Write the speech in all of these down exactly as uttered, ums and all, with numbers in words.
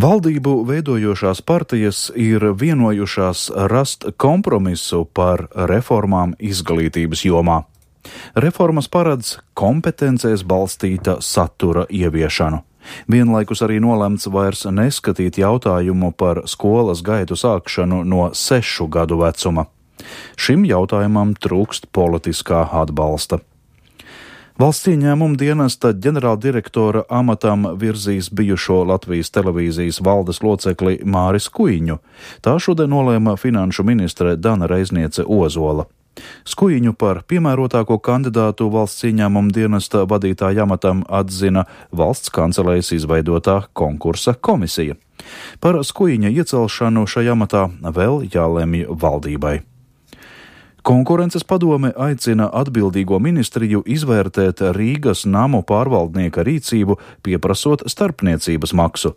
Valdību veidojošās partijas ir vienojušās rast kompromisu par reformām izglītības jomā. Reformas paredz kompetencēs balstīta satura ieviešanu. Vienlaikus arī nolemts vairs neskatīt jautājumu par skolas gaitu sākšanu no sešu gadu vecuma. Šim jautājumam trūkst politiskā atbalsta. Valsts ieņēmuma dienesta ģenerāldirektora amatam virzīs bijušo Latvijas televīzijas valdes locekli Māris Skuiņu. Tā šodien nolēma finanšu ministre Dana Reizniece Ozola. Skuiņu par piemērotāko kandidātu valsts ieņēmuma dienesta vadītāja amatam atzina valsts kancelējas izveidotā konkursa komisija. Par Skuiņa iecelšanu šajā amatā vēl jālemj valdībai. Konkurences padome aicina atbildīgo ministriju izvērtēt Rīgas namu pārvaldnieka rīcību, pieprasot starpniecības maksu.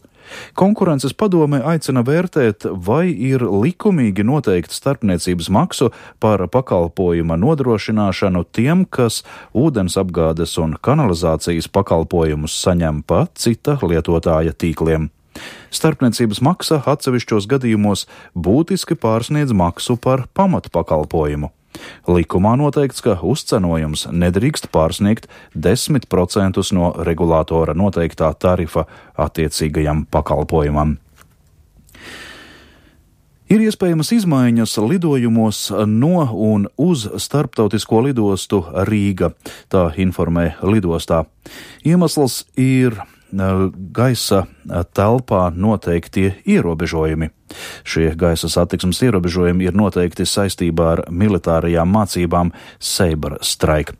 Konkurences padome aicina vērtēt, vai ir likumīgi noteikt starpniecības maksu par pakalpojuma nodrošināšanu tiem, kas ūdensapgādes un kanalizācijas pakalpojumus saņem pa cita lietotāja tīkliem. Starpniecības maksa atsevišķos gadījumos būtiski pārsniedz maksu par pamatpakalpojumu. Likumā noteikts, ka uzcenojums nedrīkst pārsniegt desmit procentus no regulātora noteiktā tarifa attiecīgajam pakalpojumam. Ir iespējamas izmaiņas lidojumos no un uz starptautisko lidostu Rīga, tā informē lidostā. Iemesls ir gaisa telpā noteiktie ierobežojumi. Šie gaisa satiksmes ierobežojumi ir noteikti saistībā ar militārajām mācībām Sabre Strike.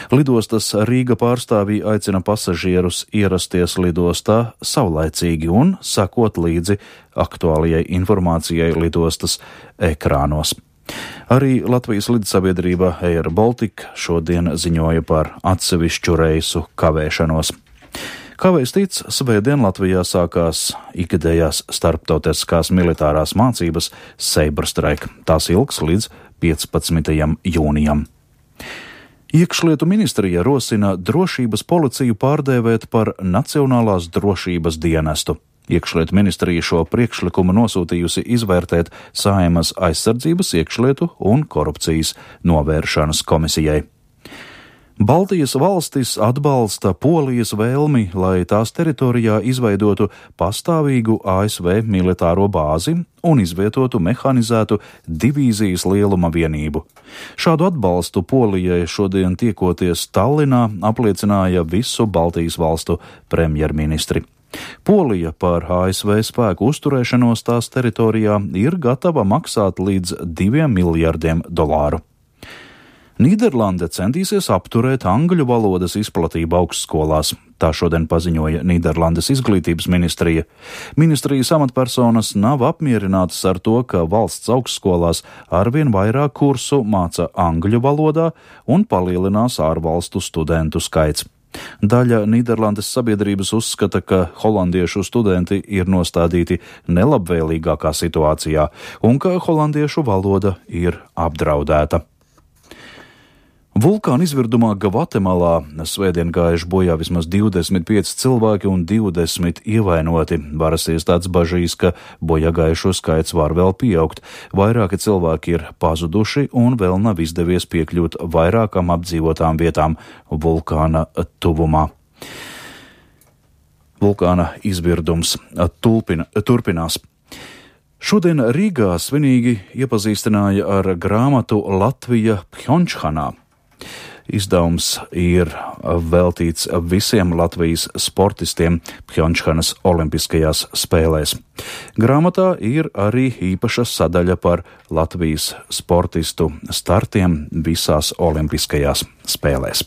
Lidostas Rīga pārstāvji aicina pasažierus ierasties lidostā saulaicīgi un sekot līdzi aktuālajai informācijai lidostas ekrānos. Arī Latvijas lidsabiedrība Air Baltica šodien ziņoja par atsevišķu reisu kavēšanos. Kā vēstīts, svētdien Latvijā sākās ikgadējās starptautiskās militārās mācības Sabre Strike. Tās ilgs līdz piecpadsmitajam jūnijam. Iekšlietu ministrija rosina drošības policiju pārdēvēt par Nacionālās drošības dienestu. Iekšlietu ministrija šo priekšlikumu nosūtījusi izvērtēt Saeimas aizsardzības, iekšlietu un korupcijas novēršanas komisijai. Baltijas valstis atbalsta Polijas vēlmi, lai tās teritorijā izveidotu pastāvīgu A S V militāro bāzi un izvietotu mehanizētu divīzijas lieluma vienību. Šādu atbalstu Polijai šodien tiekoties Tallinā apliecināja visu Baltijas valstu premjerministri. Polija par A S V spēku uzturēšanos tās teritorijā ir gatava maksāt līdz diviem miljardiem dolāru. Nīderlande centīsies apturēt angļu valodas izplatību augstskolās. Tā šodien paziņoja Nīderlandes izglītības ministrija. Ministrijas amatpersonas nav apmierinātas ar to, ka valsts augstskolās arvien vairāk kursu māca angļu valodā un palielinās ārvalstu studentu skaits. Daļa Nīderlandes sabiedrības uzskata, ka holandiešu studenti ir nostādīti nelabvēlīgākā situācijā un ka holandiešu valoda ir apdraudēta. Vulkāna izvirdumā Gvatemalā svētdien gājuši bojā vismaz divdesmit pieci cilvēki un divdesmit ievainoti. Varas iestādes bažīs, ka bojā gājušo skaits var vēl pieaugt. Vairāki cilvēki ir pazuduši un vēl nav izdevies piekļūt vairākām apdzīvotām vietām vulkāna tuvumā. Vulkāna izvirdums tulpina, turpinās. Šodien Rīgā svinīgi iepazīstināja ar grāmatu Latvija Pjončhanā. Izdevums ir veltīts visiem Latvijas sportistiem Pjončhanas olimpiskajās spēlēs. Grāmatā ir arī īpaša sadaļa par Latvijas sportistu startiem visās olimpiskajās spēlēs.